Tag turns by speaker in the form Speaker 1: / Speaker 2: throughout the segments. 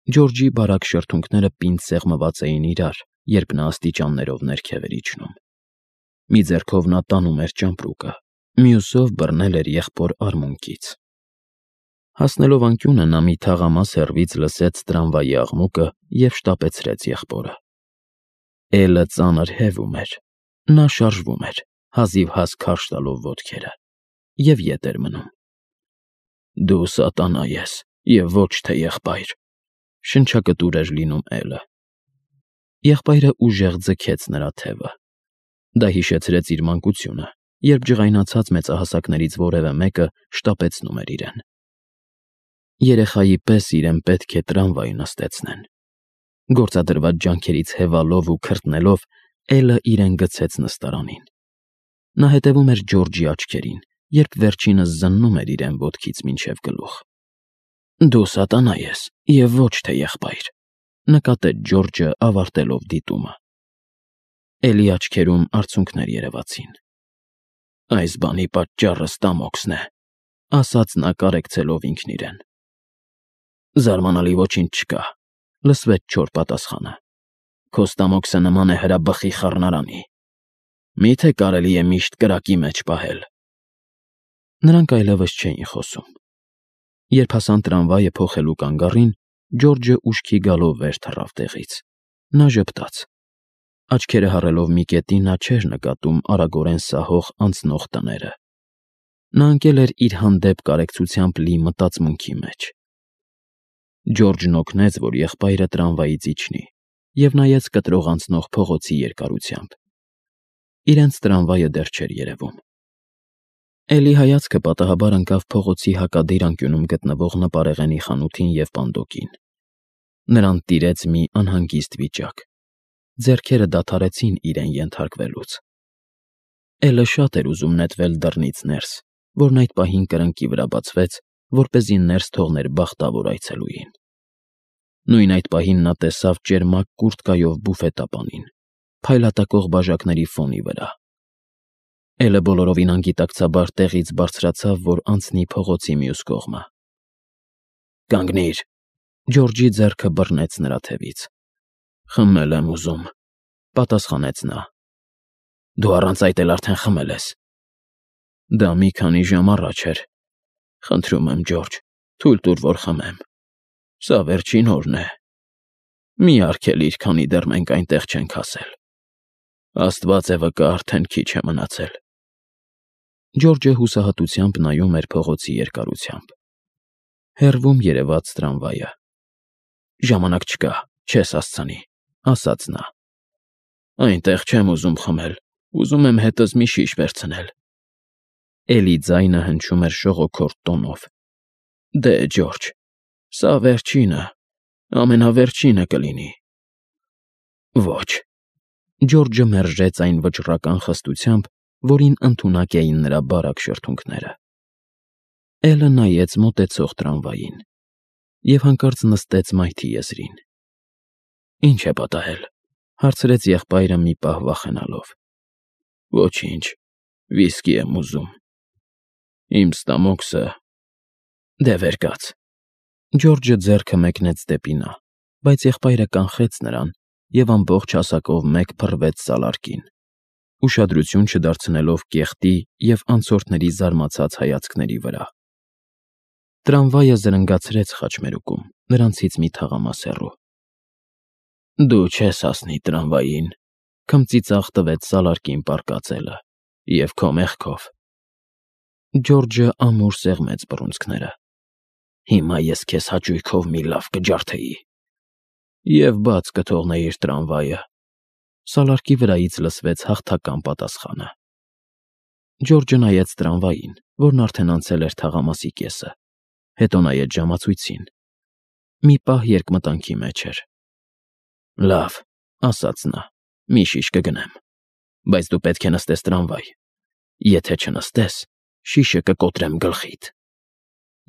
Speaker 1: Ջորջի բարակ շրթունքները պինդ սեղմված էին իրար, երբ նա աստիճաններով ներքև էր իջնում։ Մի ձեռքով նա տանում էր ճամպրուկը, մյուսով բռնել էր եղբոր արմունկից։ Հասնելով անկյունը նա մի թաղամաս հեռվից լսեց տրամվայի աղմուկը և շտապեցրեց եղբորը։ Էլը ծանր հևում էր, նա շարժվում էր, հազիվհազ քարշ տալով ոտքերը, և ետ էր մնում։ «Դու սատանա ես և ոչ թե եղբայր», շնչակտուր էր լինում Էլը։ Եղբայրը ուժեղ ձգեց նրա թևը։ Դա հիշեցրեց իր մանկությունը, երբ ջղայնացած մեծահասակներից որևէ մեկը շտապեցնում էր իրեն։ Երեխայի պես իրեն պետք է տրամվայ նստեցնեն։ Գործադրված ջանքերից հևալով ու քրտնելով՝ Էլը իրեն գցեց նստարանին։ Նա հետևում էր Ջորջի աչքերին, երբ վերջինս զննում էր իրեն ոտքից մինչև գլուխ։ «Դու սատանա ես և ոչ թե եղբայր», նկատեց Ջորջը, ավարտելով դիտումը։ Էլի աչքերում արցունքներ երևացին։ «Այս բանի պատճառը Ստամոքսն է», ասաց նա կարեկցելով ինքն իրեն։ «Զարմանալի ոչինչ չկա», լսվեց չոր պատասխանը։ «Քո Ստամոքսը նման է հրաբխի խառնարանի։ Մի՞թե կարելի է միշտ կրակի մեջ պահել»։ Նրանք այլևս չէին խոսում։ Երբ հասան տրամվայը փոխելու կանգառին, Ջորջը ուշքի գալով վեր թռավ տեղից։ Նա ժպտաց։ Աչքերը հառելով մի կետի, նա չէր նկատում արագորեն սահող անցնող տները։ Նա ընկել էր իր հանդեպ կարեկցությամբ լի մտածմունքի մեջ։ Ջորջն օգնեց, որ եղբայրը տրամվայից իջնի, և նայեց կտրող անցնող փողոցի երկարությամբ։ Իրենց տրամվայը դեռ չէր երևում։ Էլի հայացքը պատահաբար ընկավ փողոցի հակադիր անկյունում գտնվող նպարեղենի խանութին և պանդոկին։ Նրան տիրեց մի անհանգիստ վիճակ։ Ձեռքերը դադարեցին իրեն ենթարկվելուց։ Էլը շատ էր ուզում նետվել դռնից ներս, որն այդ պահին կրկնակի վրա բացվեց, որպեսզի ներս թողներ բախտավոր այցելուին։ Նույն այդ պահին նա տեսավ ճերմակ կուրտկայով բուֆետապանին, փայլատակող բաժակների ֆոնի վրա։ Էլը բոլորովին անգիտակցաբար տեղից բարձրացավ, որ անցնի փողոցի մյուս կողմը։ «Կանգնիր», Ջորջի ձեռքը բռնեց նրա թևից։ «Խմել եմ ուզում», պատասխանեց նա։ «Դու առանց այդ էլ արդեն խմել ես»։ «Դա մի քանի ժամ առաջ էր։ Խնդրում եմ, Ջորջ, թույլ տուր, որ խմեմ։ Սա վերջին օրն է։ Մի արգելիր, քանի դեռ մենք այնտեղ չենք հասել։ Աստված է վկա, արդեն քիչ է մնացել»։ Ջորջը հուսահատությամբ նայում էր փողոցի երկարությամբ։ Հեռվում երևաց տրամվայը։ «Ժամանակ չկա, չես հասցնի», ասաց նա։ «Այնտեղ չեմ ուզում խմել, ուզում եմ հետս մի շիշ վերցնել»։ Էլի ձայնը հնչում էր շողոքորթ տոնով։ «Դե, Ջորջ, սա վերջինը, ամենավերջինը կլինի»։ «Ոչ»։ Ջորջը մերժեց այն վճռական խստությամբ, որին ընդունակ էին նրա բարակ շրթունքները։ Էլը նայեց մոտեցող տրամվային և հանկարծ նստեց մայթի եզրին։ «Ինչ է պատահել», հարցրեց եղբայրը մի պահ վախենալով։ «Ոչինչ, վիսկի եմ ուզում։ Իմ Ստամոքսը… Դե վեր կաց»։ Ջորջը ձեռքը մեկնեց դեպի նա, բայց եղբայրը կանխեց նրան և ամբողջ հասակով մեկ փռվեց սալարկին, ուշադրություն չդարձնելով կեղտի և անցորդների զարմացած հայացքների վրա։ Տրամվայը զրնգացրեց խաչմերուկում, նրանցից մի թաղամաս հեռու։ «Դու չես հասնի տրամվային», քմծիծաղ տվեց սալարկին պառկած Էլը, «և քո մեղքով»։ Ջորջը ամուր սեղմեց բռունցքները։ «Հիմա ես քեզ հաճույքով մի լավ կջարդեի»։ «Եվ բաց կթողնեիր տրամվայը»։ Սալարկի վրայից լսվեց հաղթական պատասխանը։ Ջորջը նայեց տրամվային, որն արդեն անցել էր թաղամասի կեսը, հետո նայեց ժամացույցին։ Մի պահ երկմտանքի մեջ էր։ «Լավ», ասաց նա, «մի շիշ կգնեմ, բայց դու պետք է նստես տրամվայ։ Եթե չնստես, շիշը կկոտրեմ գլխիդ»։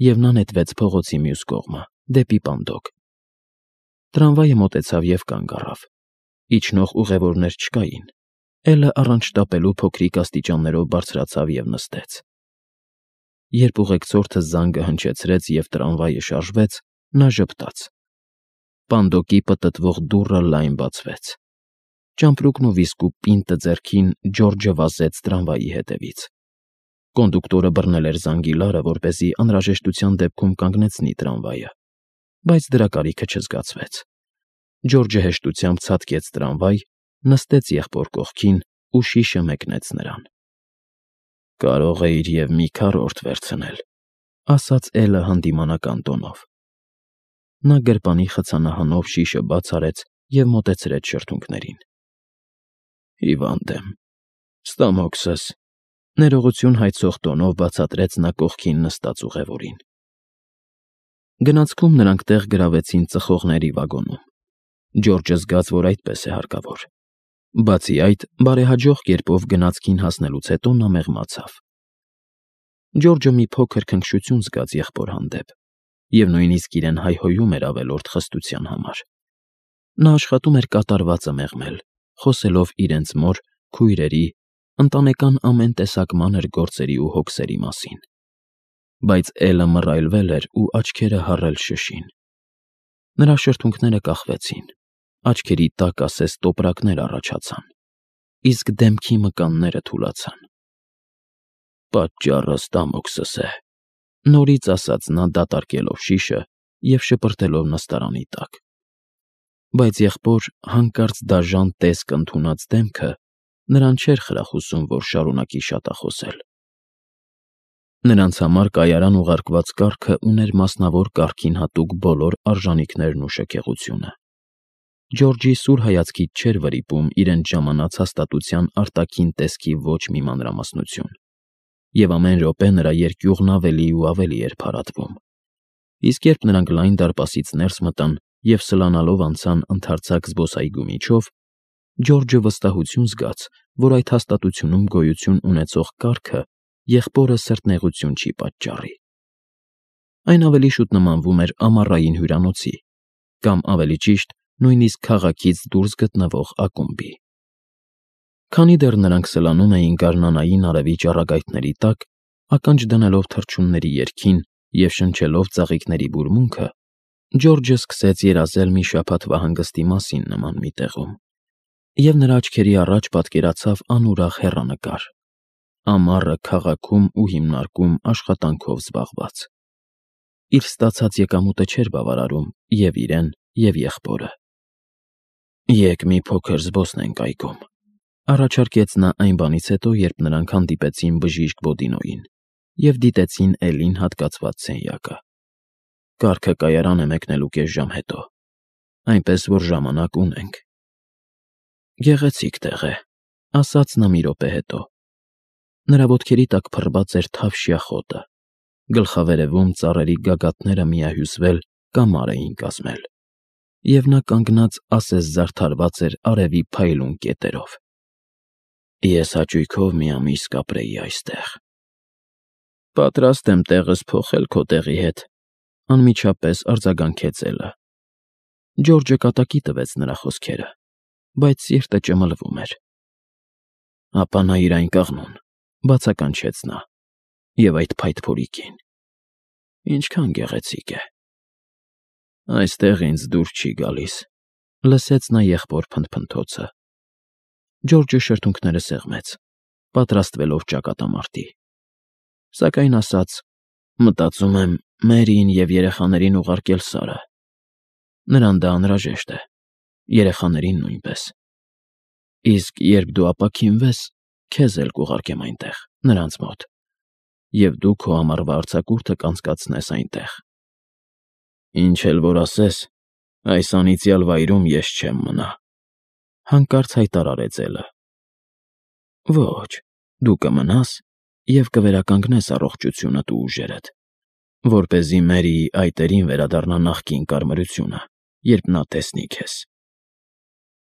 Speaker 1: Եվ նա նետվեց փողոցի մյուս կողմը, դեպի պանդոկ։ Տրամվայը մոտեցավ և կանգ առավ։ Իջնող ուղևորներ չկային։ Էլը առանց շտապելու փոքրիկ աստիճաններով բարձրացավ և նստեց։ Երբ ուղեկցորդը զանգը հնչեցրեց և տրամվայը շարժվեց, նա ժպտաց։ Պանդոկի պտտվող դուռը լայն բացվեց։ Ճամպրուկն ու վիսկու պինտը ձեռքին Ջորջը վազեց տրամվայի հետևից։ Կոնդուկտորը բռնել էր զանգիլարը, որպեսզի անհրաժեշտության դեպքում կանգնեցնի տրամվայը, բայց դրա կարիքը չզգացվեց։ Ջորջը հեշտությամբ ցատկեց տրամվայ, նստեց եղբոր կողքին ու շիշը մեկնեց նրան։ «Կարող էիր և մի քառորդ վերցնել», ասաց Էլը հանդիմանական տոնով։ Նա գրպանի խցանահանով շիշը բաց արեց և մոտեցրեց շրթունքներին։ «Հիվանդ եմ, ստամոքսս», ներողություն հայցող տոնով բացատրեց նա կողքին նստած ուղևորին։ Գնացքում նրանք տեղ գրավեցին ծխողների վագոնում։ Ջորջը զգաց, որ այդպես է հարկավոր։ Բացի այդ, բարեհաջող կերպով գնացքին հասնելուց հետո նա մեղմացավ։ Ջորջը մի փոքր քնքշություն զգաց եղբոր հանդեպ և նույնիսկ իրեն հայհոյում էր ավելորդ խստության համար։ Նա աշխատում էր կատարվածը մեղմել, խոսելով իրենց մոր, քույրերի, ընտանեկան ամեն տեսակ մանր գործերի ու հոգսերի մասին։ Բայց Էլը մռայլվել էր ու աչքերը հառել շշին։ Նրա շրթունքները կախվեցին, աչքերի տակ ասես տոպրակներ առաջացան, իսկ դեմքի մկանները թուլացան։ «Պատճառը ստամոքսս է», նորից ասաց նա դատարկելով շիշը և շպրտելով նստարանի տակ։ Բայց եղբոր հանկարծ դաժան տեսք ընդունած դեմքը նրան չէր խրախուսում, որ շարունակի շատախոսել։ Նրանց համար կայարան ուղարկված կառքը ուներ մասնավոր կարգին հատուկ բոլոր արժանիքներն ու շքեղությունը։ Ջորջի սուր հայացքից չէր վրիպում իրենց ժամանած հաստատության արտաքին տեսքի ոչ մի մանրամասնություն, և ամեն րոպե նրա երկյուղն ավելի ու ավելի էր փարատվում։ Իսկ երբ նրանք լայն դարպասից ներս մտան և սլանալով անցան ընդարձակ զբոսայգու միջով, Ջորջը վստահություն զգաց, որ այդ հաստատությունում գոյություն ունեցող կարգը եղբորը սրտնեղություն չի պատճառի։ Այն ավելի շուտ նմանվում էր ամառային հյուրանոցի, կամ ավելի ճիշտ, նույնիսկ քաղաքից դուրս գտնվող ակումբի։ Քանի դեռ նրանք սլանում էին գարնանային արևի ճառագայթների տակ, ականջ դնելով թռչունների երգին և շնչելով ծաղիկների բուրմունքը, Ջորջը սկսեց երազել մի շաբաթվա հանգստի մասին նման մի տեղում, և նրա աչքերի առաջ պատկերացավ անուրախ հեռանկար՝ ամառը քաղաքում ու հիմնարկում աշխատանքով զբաղված։ Իր ստացած եկամուտը չէր բավարարում և իրեն, և եղբորը։ «Եկ մի փոքր զբոսնենք այգում», առաջարկեց նա այն բանից հետո, երբ նրանք հանդիպեցին բժիշկ Բոդինոյին և դիտեցին Էլին հատկացված սենյակը։ «Կառքը կայարան է մեկնելու կես ժամ հետո, այնպես որ ժամանակ ունենք»։ «Գեղեցիկ տեղ է», ասաց նա մի րոպե հետո։ Նրա ոտքերի տակ փռված էր թավշյա խոտը, գլխավերևում ծառերի գագաթները միահյուսվել կամար էին կազմել, և նա կանգնած ասես զարդարված էր արևի փայլուն կետերով։ «Ես հաճույքով մի ամիս կապրեի այստեղ»։ «Պատրաստ եմ տեղս փոխել քո տեղի հետ», անմիջապես արձագանքեց Էլը։ Ջորջը կատակի տվեց նրա խոսքերը, բայց սիրտը ճմլվում էր։ «Ապա նայիր այն կաղնուն», բացականչեց նա, «և այդ փայտփորի կին։ Ինչքան գեղեցիկ է»։ «Այստեղ ինձ դուր չի գալիս», լսեց նա եղբոր փնթփնթոցը։ Ջորջը շրթունքները սեղմեց, պատրաստվելով ճակատամարտի։ Սակայն ասաց. «Մտածում եմ Մերիին և երեխաներին ուղարկել Սարը։ Նրան դա անհրաժեշտ է, երեխաներին նույնպես։ Իսկ երբ դու ապաքինվես, քեզ էլ կուղարկեմ այնտեղ, նրանց մոտ, և դու քո ամառվա արձակուրդը կանցկացնես այնտեղ։ Ինչ էլ որ ասես, այս անիծյալ վայրում ես չեմ մնա», հանկարծ հայտարարեց Էլը։ «Ոչ, դու կմնաս և կվերականգնես առողջությունդ ու ուժերդ, որպեսզի Մերիի այտերին վերադառնա նախկին կարմրությունը, երբ նա տեսնի քեզ»։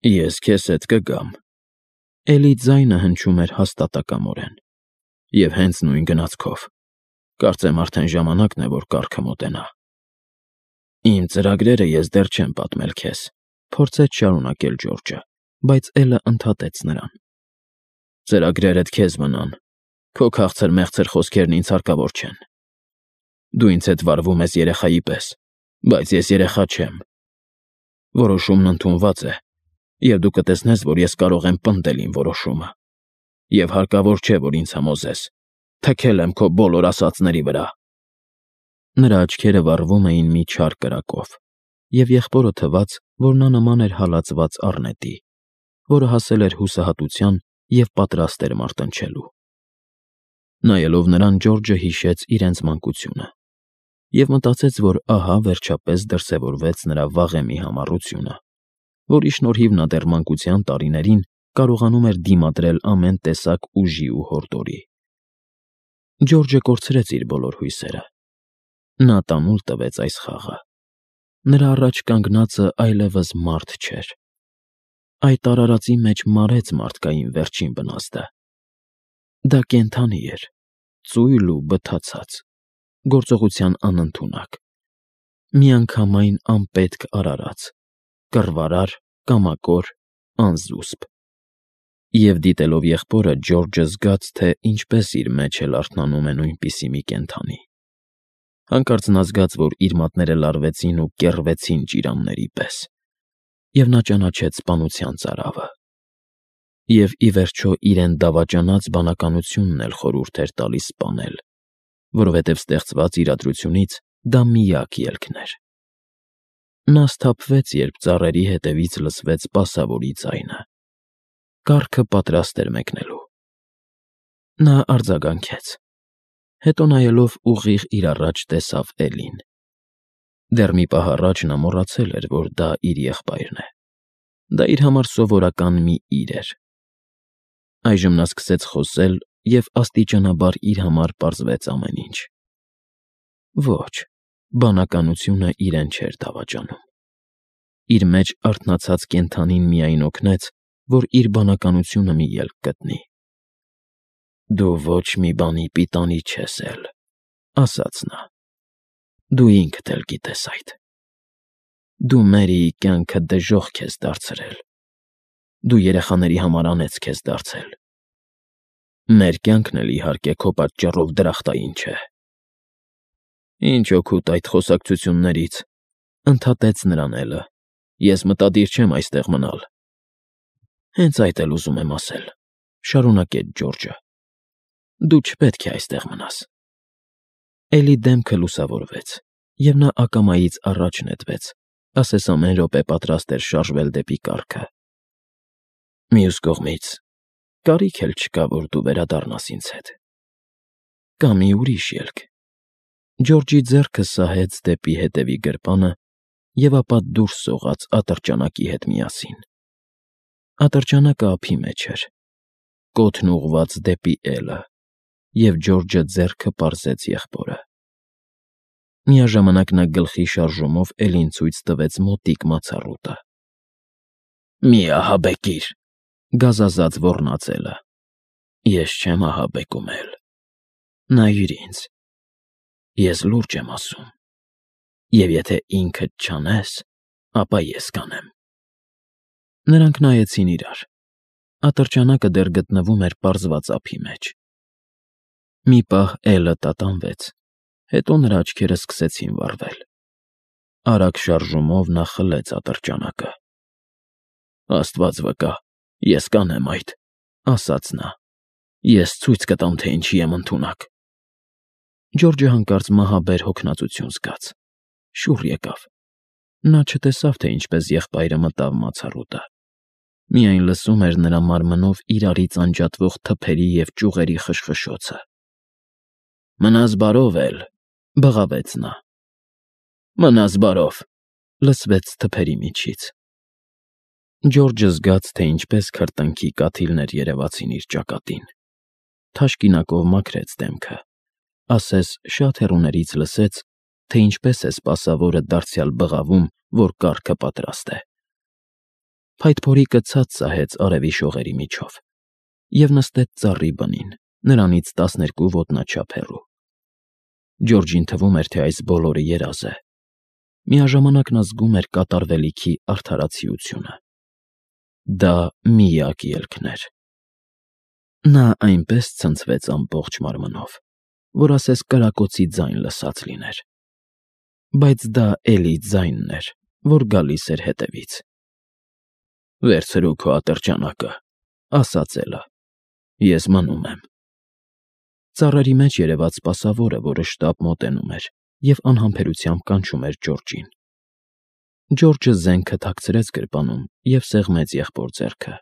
Speaker 1: «Ես քեզ հետ կգամ», Էլի ձայնը հնչում էր հաստատակամորեն, «և հենց նույն գնացքով։ Կարծեմ արդեն ժամանակն է, որ կառքը մոտենա»։ «Իմ ծրագրերը ես դեռ չեմ պատմել քեզ», փորձեց շարունակել Ջորջը, բայց Էլը ընդհատեց նրան։ «Ծրագրերդ քեզ մնան, քո քաղցր֊մեղցր խոսքերն ինձ հարկավոր չեն։ Դու ինձ հետ վարվում ես երեխայի պես, բայց ես երեխա չեմ։ Որոշումն ընդունված է, և դու կտեսնես, որ ես կարող եմ պնդել իմ որոշումը, և հարկավոր չէ, որ ինձ համոզես, թքել եմ քո բոլոր ասածների վրա։ Նրա աչքերը վառվում էին մի չար կրակով, և եղբորը թվաց, որ նա նման էր հալածված առնետի, որը հասել էր հուսահատության և պատրաստ էր մարտնչելու։ Նայելով նրան, Ջորջը հիշեց իրենց մանկությունը և մտածեց, որ ահա վերջապես դրսևորվեց նրա վաղեմի համառությունը, որի շնորհիվ նա դեռ մանկության տարիներին կարողանում էր դիմադրել ամեն տեսակ ուժի ու հորդորի։ Ջորջը կորցրեց իր բոլոր հույսերը։ Նա տանուլ տվեց այս խաղը։ Նրա առաջ կանգնածը այլևս մարդ չէր։ Այդ արարածի մեջ մարեց մարդկային վերջին բնազդը։ Դա կենդանի էր, ծույլ ու բթացած, գործողության անընդունակ, միանգամայն անպետք արարած, կռվարար, կամակոր, անզուսպ։ Եվ դիտելով եղբորը, Ջորջը զգաց, թե ինչպես իր մեջ էլ արթնանում է նույնպիսի մի կենդանի։ Հանկարծ նա զգաց, որ իր մատները լարվեցին ու կեռվեցին ճիրանների պես, և նա ճանաչեց սպանության ծարավը։ Եվ ի վերջո իրեն դավաճանած բանականությունն էլ խորհուրդ էր տալիս սպանել, որովհետև ստեղծված իրադրությունից դա միակ ելքն էր։ Նա սթափվեց, երբ ծառերի ետևից լսվեց սպասավորի ձայնը։ Կառքը պատրաստ էր մեկնելու։ Նա արձագանքեց, հետո նայելով ուղիղ իր առաջ տեսավ Էլին։ Դեռ մի պահ առաջ նա մոռացել էր, որ դա իր եղբայրն է։ Դա իր համար սովորական մի իր էր։ Այժմ նա սկսեց խոսել, և աստիճանաբար իր համար պարզվեց ամեն ինչ։ Ոչ, բանականությունը իրեն չէր դավաճանում։ Իր մեջ արթնացած կենդանին միայն օգնեց, որ իր բանականությունը մի ելք գտնի։ «Դու ոչ մի բանի պիտանի չես էլ», ասաց նա։ «Դու ինքդ էլ գիտես այդ։ Դու Մերիի կյանքը դժոխք ես դարձրել։ Դու երեխաների համար անեծք ես դարձել։ Մեր կյանքն էլ, իհարկե, քո պատճառով դրախտային չէ»։ «Ինչ օգուտ այդ խոսակցություններից», ընդհատեց նրան Էլը։ «Ես մտադիր չեմ այստեղ մնալ»։ «Հենց այդ էլ ուզում եմ ասել», շարունակեց Ջորջը։ «Դու չպետք է այստեղ մնաս»։ Էլի դեմքը լուսավորվեց, և նա ակամայից առաջ նետվեց, ասես ամեն րոպե պատրաստ էր շարժվել դեպի կառքը։ «Մյուս կողմից, կարիք էլ չկա, որ դու վերադառնաս ինձ հետ։ Կա մի ուրիշ ելք»։ Ջորջի ձեռքը սահեց դեպի հետևի գրպանը և ապա դուրս սողաց ատրճանակի հետ միասին։ Ատրճանակը ափի մեջ էր, կոթն ուղղված դեպի Էլը, և Ջորջը ձեռքը պարզեց եղբորը։ Միաժամանակ նա գլխի շարժումով Էլին ցույց տվեց մոտիկ մացառուտը։ «Մի ահաբեկիր», գազազած ոռնաց Էլը։ «Ես չեմ ահաբեկում, Էլ։ Նայիր ինձ։ Ես լուրջ եմ ասում, և եթե ինքդ չանես, ապա ես կանեմ»։ Նրանք նայեցին իրար։ Ատրճանակը դեռ գտնվում էր պարզված ափի մեջ։ Մի պահ Էլը տատանվեց, հետո նրա աչքերը սկսեցին վառվել։ Արագ շարժումով նա խլեց ատրճանակը։ «Աստված վկա, ես կանեմ այդ», ասաց նա։ «Ես ցույց կտամ, թե ինչի եմ ընդունակ»։ Ջորջը հանկարծ մահաբեր հոգնածություն զգաց։ Շուռ եկավ։ Նա չտեսավ, թե ինչպես եղբայրը մտավ մացառուտը։ Միայն լսում էր նրա մարմնով իրարից անջատվող թփերի և ճյուղերի խշխշոցը։ «Մնաս բարով, Էլ», բղավեց նա։ «Մնաս բարով», լսվեց թփերի միջից։ Ջորջը զգաց, թե ինչպես քրտինքի կաթիլներ երևացին իր ճակատին։ Թաշկինակով մաքրեց դեմքը, ասես շատ հեռուներից լսեց, թե ինչպես է սպասավորը դարձյալ բղավում, որ կառքը պատրաստ է։ Փայտփորիկը ցած սահեց արևի շողերի միջով և նստեց ծառի բնին, նրանից 12 ոտնաչափ հեռու։ Ջորջին թվում էր, թե այս բոլորը երազ է։ Միաժամանակ նա զգում էր կատարվելիքի արդարացիությունը։ Դա միակ ելքն էր։ Նա այնպես ցնցվեց ամբողջ մարմնով, որ ասես կրակոցի ձայն լսած լիներ։ Բայց դա էլի ձայնն էր, որ գալիս էր հետևից։ «Վերցրու քո ատրճանակը», ասաց Էլը։ «Ես մնում եմ»։ Ծառերի մեջ երևաց սպասավորը, որը շտապ մոտենում էր և անհամբերությամբ կանչում էր Ջորջին։ Ջորջը զենքը թաքցրեց գրպանում և սեղմեց եղբոր ձեռքը։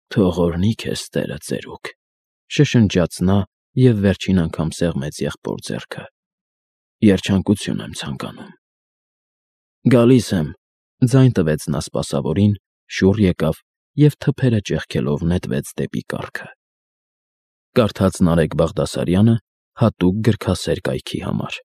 Speaker 1: «Թող օրհնի քեզ Տերը, ծերուկ», շշնջաց նա և վերջին անգամ սեղմեց եղբոր ձեռքը։ «Երջանկություն եմ ցանկանում»։ «Գալիս եմ», ձայն տվեց նա սպասավորին, շուռ եկավ և թփերը ճեղքելով նետվեց դեպի կառքը։ Կարդաց Նարեկ Բաղդասարյանը հատուկ գրքասեր կայքի համար։